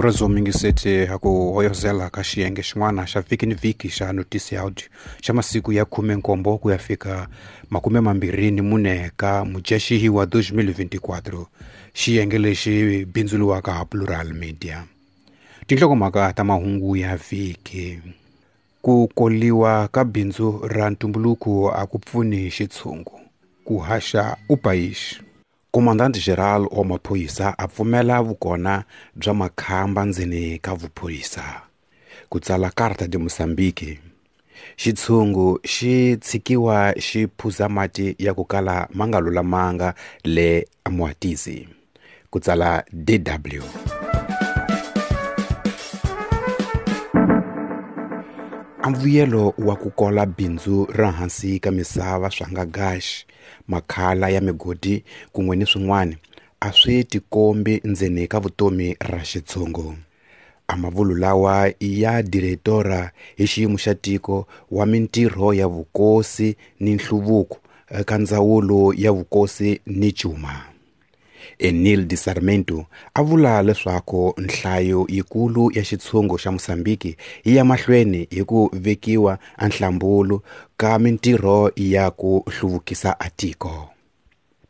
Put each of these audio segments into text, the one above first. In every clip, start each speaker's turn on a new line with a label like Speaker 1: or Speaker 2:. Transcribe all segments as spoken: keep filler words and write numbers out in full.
Speaker 1: Murhandzi wa muyingiseti ha ku hoyozela ka xiyenge xin'wana xa vhiki ni vhiki xa Notice Audio xa masiku ya khume nkombo ku ya fika makume mambirhi ni mune ka Mudyaxihi wa twenty twenty-four, xiyenge lexi bindzuriwaka ha Plural Media. Tinhlokomhaka ta mahungu ya vhiki: ku koliwa ka bindzu ra ntumbuluko a ku pfuni xitshungu, ku haxa u payixi. Comandante Geral wa maphorisa a pfumela vukona bya makhamba ndzeni ka vuphorisa. Ku tsala Carta de Moçambique. Xitshungu xi tshikiwa xi phuza mati ya ku kala ma nga lulamanga le Moatize. Ku tsala D W. Mbuyelo wa ku kola bindzu ra hansi ka misava swa nga gaxi, makhala ya migodi kun'we ni swin'wana a swi tikombi ndzeni ka vutomi ra xitshungu. A mavulu lawa ya diretora hi xiyimo xa tiko wa mintirho ya vukosi ni nhluvuko eka ndzawulo ya vukosi ni cuma, Enil de Sarmento, a vula leswaku nhlayo yikulu ya xitshungu xa Mozambique yi ya mahlweni hi ku vekiwa enhlambulu ka mintirho ya ku hluvukisa atiko.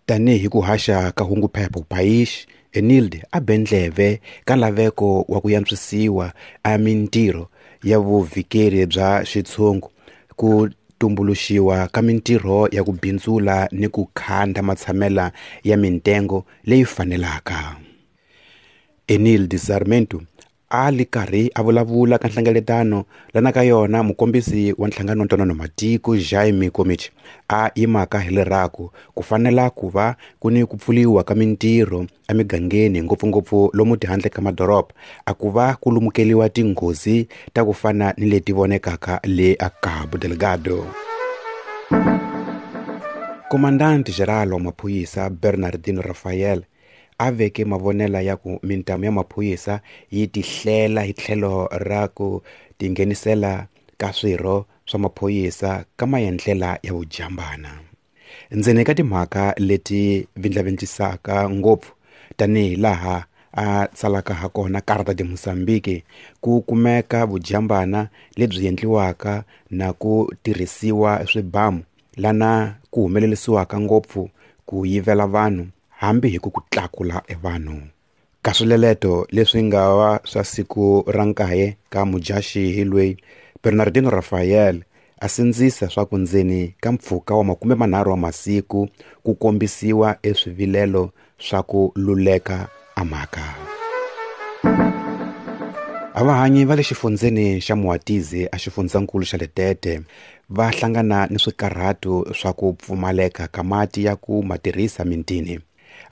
Speaker 1: Tanihi ku haxa ka hunguphepha Paish, Enilde a be ndleve ka laveko wa ku yantswisiwa a mintirho ya vuvhikeri bya xitshungu, ku tumbuluxiwa ka mintirho ya ku bindzula ni ku khanda matshamela ya mintengo leyi fanelaka. Enil de Sarmento a li karhi a vulavula ka nhlengeletano lana ka yona mukombisi wa nhlangano wa ntwanano matiko Jaime Komich a yimaka hi lerako ku fanela ku va ku ni ku pfuliwa ka mintirho emigangeni ngopfungopfu lomu tihandle ka madoroba, a ku va ku lumukeliwa tinghozi ta ku fana ni leti vonekaka le a Cabo Delgado. Comandante Geral wa maphorisa Bernardino Rafael a veke mavonela ya ku mintamu ya maphorisa yi tihlela hi tlhelo ra ku tinghenisela ka swirho swa maphorisa ka maendlela ya vujambana. Ndzeni ka timhaka leti vindlavindlisaka ngopfu tanihi laha a tsalaka ha kona Carta de Moçambique, ku kumeka vujambana lebyi endliwaka na ku tirhisiwa swibamu lana ku humelerisiwaka ngopfu ku yivela vanhu hambi hi ku ku tlakula evanhu. Ka swileleto leswi nga va swa siku ra nkaye ka Mudyaxihi loyi, Bernardino Rafael a sindzisa swa ku ndzeni ka mpfhuka wa makume manharhu wa masiku ku kombisiwa eswivilelo swa ku luleka a mhaka. Avahanyi va le xifundzeni xa Moatize a xifundzankulu xa Letete va hlangana ni swikarhato swa ku pfumaleka ka mati ya ku ma tirhisa mintini.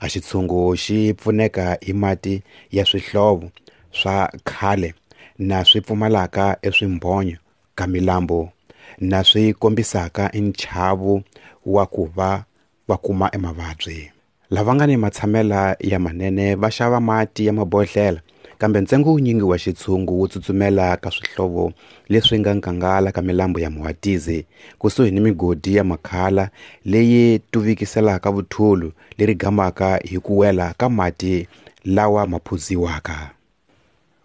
Speaker 1: A xitshungu xi pfuneka hi mati ya swihlovo swa khale na swi pfumalaka eswimbhonyo ka milambo na swi kombisaka nchavo wa ku va va kuma emavabyi. Lava nga ni matshamela ya manene va xava mati ya mabodhlela, kambe ntsengo wunyingi wa xitshungu wu tsutsumela ka swihlovo leswi nga nkangala ka milambo ya Moatize kusuhi ni migodi ya makhala leyi tuvikiselaka vuthulu leri gamaka hi ku wela ka mati lawa ma phuziwaka.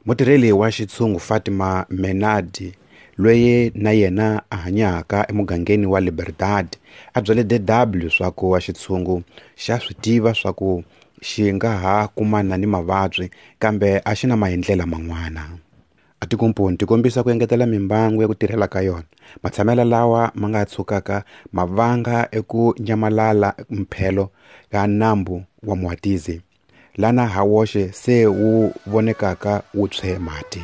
Speaker 1: Mutirheli wa xitshungu Fatima Menadi, loyi na yena a hanyaka emugangeni wa Liberdade, a byele D W swa ku wa xitshungu xa swi tiva swa ku xi nga ha kumana ni mavabyi kambe a xi na maendlela man'wana. A tikomponi ti kombisa ku engetela mimbangu ya ku tirhela ka yona, matshamela lawa ma nga tshukaka ma vanga eku nyamalala mphelo ka nambu wa Moatize, lana ha woxe se wu vonekaka wu tshwe mati.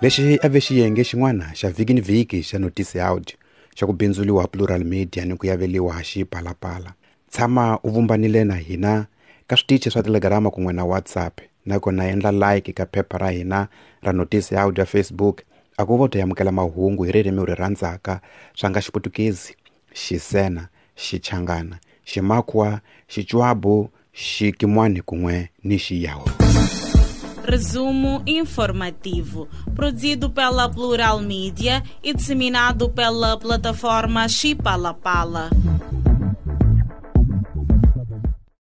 Speaker 1: Lexi a ve xiyenge xin'wana xa vhiki ni vhiki xa Notice Audio xa ku bindzuriwa Plural Media ni ku yaveliwa Xipalapala. Tshama u vumbanile na hina ka switichi swa Telegram kun'we na WhatsApp, nakona endla like ka phepha ra hina ra Notice Audio ya Facebook. A ku vo ta amukela mahungu hi ririmi ri rhandzaka swa nga Xiputukezi, Xisena, Xichangana, Ximakwa, Xichwabu, Xikimwani kun'we ni Xiyawu.
Speaker 2: Resumo informativo, produzido pela Plural Media e disseminado pela plataforma Xipalapala.